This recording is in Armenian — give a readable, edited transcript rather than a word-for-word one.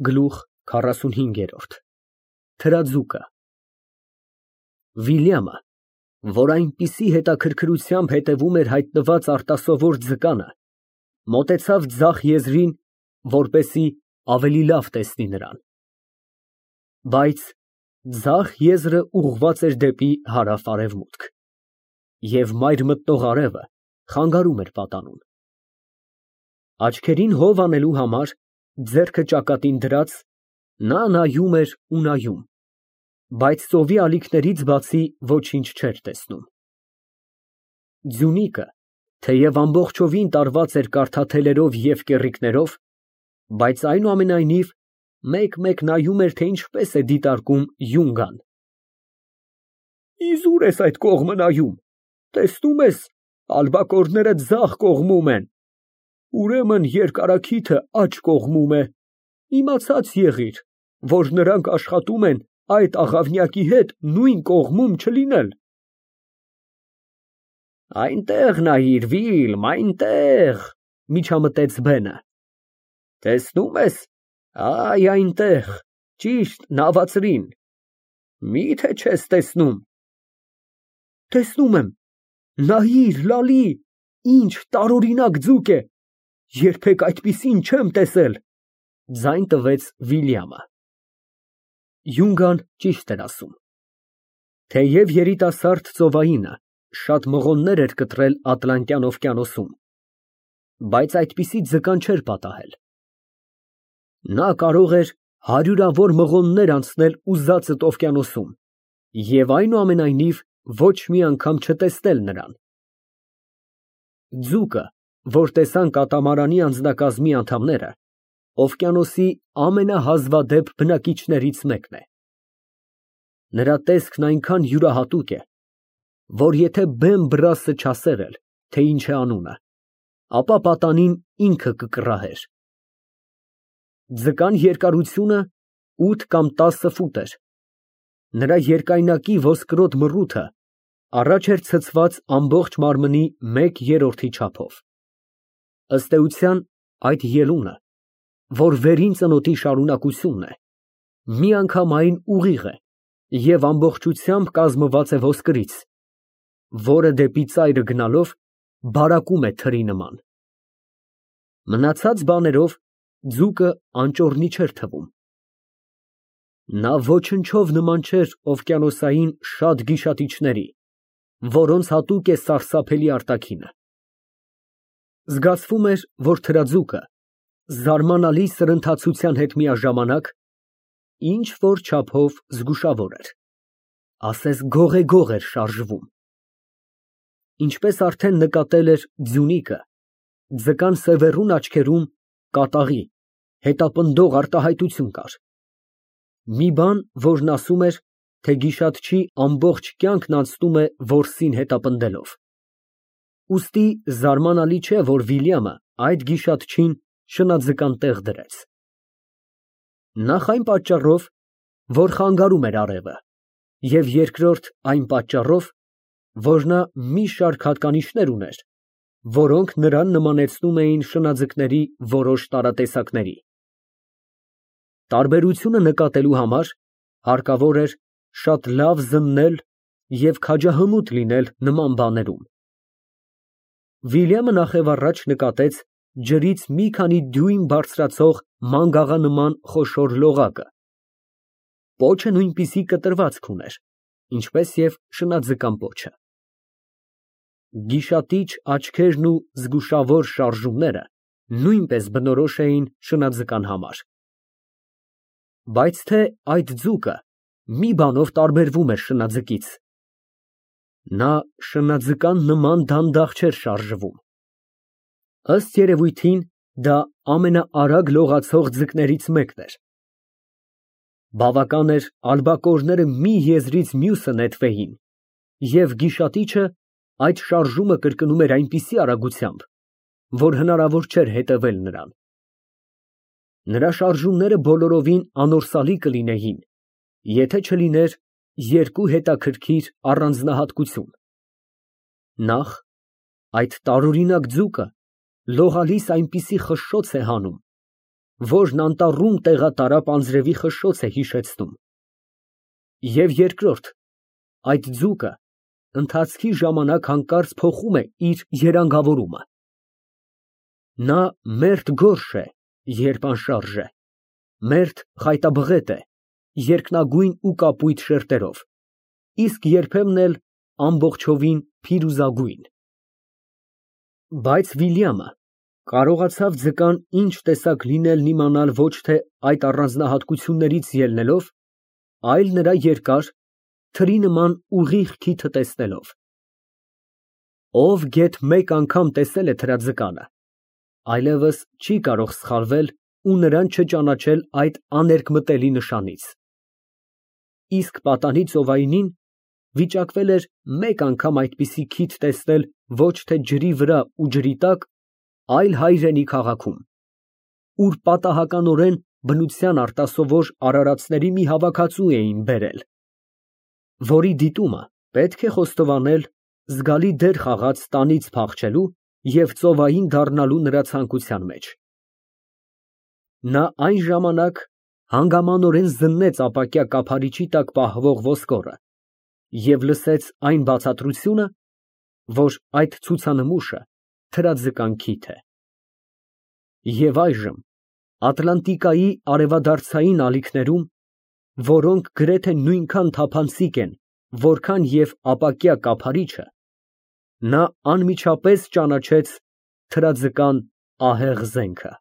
Գլուխ 45 Թրաձուկը Վիլյամը, որ այնպիսի հետաքրքրությամբ հետևում էր հայտնված արտասովոր ձկանը, մոտեցավ ձախ եզրին, որպեսզի ավելի լավ տեսնի նրան, բայց ձախ եզրը ուղղված էր դեպի հարավ֊արևմուտք, և մայր մտնող արևը խանգարում էր պատանուն։ Աչքերին հով անելու համար, ձեռքը ճակատին դրած, նա նայում էր ու նայում, բայց ծովի ալիքներից բացի ոչինչ չէր տեսնում։ Ձյունիկը, թեև ամբողջովին տարված էր կարդաթելերով և կեռիկներով, բայց այնուամենայնիվ մեկ֊մեկ նայում էր, թե ինչպես է դիտարկում յունգան։ Իզուր ես այդ կողմը նայում, տեսնում ես, ալբակորները ձախ կողմում են, ուրեմն երկարաքիթը աջ կողմում է, իմացած եղիր, որ նրանք աշխատում են այդ աղավնյակի հետ նույն կողմում չլինել։ Այնտեղ նայիր, Վիլմ, այնտեղ, միջամտեց Բենը, տեսնում ես, այ այնտեղ, ճիշտ նավածրին, մի՞թե չես տեսնում։ Տեսնում եմ, նայիր, լալի, ինչ տարօրինակ ձուկ է, երբեք այդպիսին չեմ տեսել, ձայն տվեց Վիլյամը։ Յունգան ճիշտ էր ասում։ Թեև երիտասարդ ծովայինը շատ մղոններ էր կտրել Ատլանտյան օվկիանոսում, բայց այդպիսի ձկան չէր պատահել։ Նա կարող էր հարյուրավոր մղոններ անցնել ուզածդ օվկիանոսում և այնուամենայնիվ ոչ մի անգամ չտեսնել նրան։ Ձուկը, որ տեսան կատամարանի անձնակազմի անդամները, օվկիանոսի ամենահազվադեպ բնակիչներից մեկն է։ Նրա տեսքն այնքան յուրահատուկ է, որ եթե բեմ֊բռասը չասեր էլ, թե ինչ է անունը, ապա պատանին ինքը կկռահեր։ Ձկան երկարությունը 8 կամ 10 ֆուտ էր։ Նրա երկայնակի ոսկրոտ մռութը առաջ էր ցցված ամբողջ մարմնի 1/3-ի չափով։ Ըստ էության, այդ ելունը, որ վերին ծնոտի շարունակությունն է, միանգամայն ուղիղ է և ամբողջությամբ կազմված է ոսկրից, որը դեպի ծայրը գնալով բարակում է թրի նման։ Մնացած բաներով ձուկը անճոռնի չէր թվում։ Նա ոչնչով նման չէր օվկիանոսային շատ գիշատիչների, որոնց հատուկ է սարսափելի արտաքինը։ Զգացվում էր, որ թրաձուկը զարմանալի սրընթացության հետ միաժամանակ ինչ֊որ չափով զգուշավոր էր, ասես գողեգող էր շարժվում։ Ինչպես արդեն նկատել էր Ձյունիկը, ձկան սևեռուն աչքերում կատաղի, հետապնդող արտահայտություն կար։ Մի բան, որն ասում էր, թե գիշատչի ամբողջ կյանքն անցնում է որսին հետապնդելով։ Ուստի զարմանալի չէ, որ Վիլյամը այդ գիշատչին շնաձկան տեղ դրեց։ Նախ այն պատճառով, որ խանգարում էր արևը, և երկրորդ այն պատճառով, որ նա մի շարք հատկանիշներ ուներ, որոնք նրան նմանեցնում էին շնաձկների որոշ տարատեսակների։ Տարբերությունը նկատելու համար հարկավոր էր շատ լավ զննել և քաջահմուտ լինել նման բաներում։ Վիլյամը նախևառաջ նկատեց ջրից մի քանի դյույմ բարձրացող մանգաղանման խոշոր լողակը։ Պոչը նույնպիսի կտրվածք ուներ, ինչպես և շնաձկան պոչը։ Գիշատիչ աչքերն ու զգուշավոր շարժումները նույնպես բնորոշ էին շնաձկան համար։ Բայց թե այդ ձուկը մի բանով տարբերվում էր շնաձկից. նա շնաձկան նման դանդաղ չէր շարժվում։ Ըստ երևույթին, դա ամենաարագ լողացող ձկներից մեկն էր։ Բավական էր ալբակորները մի եզրից մյուսը նետվեին, և գիշատիչը այդ շարժումը կրկնում էր այնպիսի արագությամբ, որ հնարավոր չէր հետևել նրան։ Նրա շարժումները բոլորովին անորսալի կլինեին, եթե չլիներ երկու հետաքրքիր առանձնահատկություն։ Նախ, այդ տարօրինակ ձուկը լողալիս այնպիսի խշշոց է հանում, որն անտառում տեղատարապ անձրևի խշշոց է հիշեցնում։ Եվ երկրորդ, այդ ձուկը ընթացքի ժամանակ հանկարծ փոխում է իր երանգավորումը։ Նա մերթ գորշ է, երբ անշարժ է, մերթ խայտաբղետ է, երկնագույն ու կապույտ շերտերով, իսկ երբեմն էլ ամբողջովին փիրուզագույն։ Բայց Վիլյամը կարողացավ ձկան ինչ տեսակ լինելն իմանալ ոչ թե այդ առանձնահատկություններից ելնելով, այլ նրա երկար, թրի նման ուղիղ քիթը տեսնելով։ Ով գեթ մեկ անգամ տեսել է թրաձկանը, այլևս չի կարող սխալվել ու նրան չճանաչել այդ աներկմտելի նշանից։ Իսկ պատանի ծովայինին վիճակվել էր մեկ անգամ այդպիսի քիթ տեսնել ոչ թե ջրի վրա ու ջրի տակ, այլ հայրենի քաղաքում, ուր պատահականորեն բնության արտասովոր արարածների մի հավաքածու էին բերել, որի դիտումը պետք է խոստովանել զգալի դեր խաղաց տանից փախչելու և ծովային դառնալու նրա ցանկության մեջ։ Նա այն ժամանակ հանգամանորեն զննեց ապակյա կափարիչի տակ պահվող ոսկորը և լսեց այն բացատրությունը, որ այդ ցուցանմուշը թրաձկան քիթ է։ Եվ այժմ Ատլանտիկայի արևադարձային ալիքներում, որոնք գրեթե նույնքան թափանցիկ են, որքան և ապակյա կափարիչը, նա անմիջապես ճանաչեց թրաձկան ահեղ զենքը։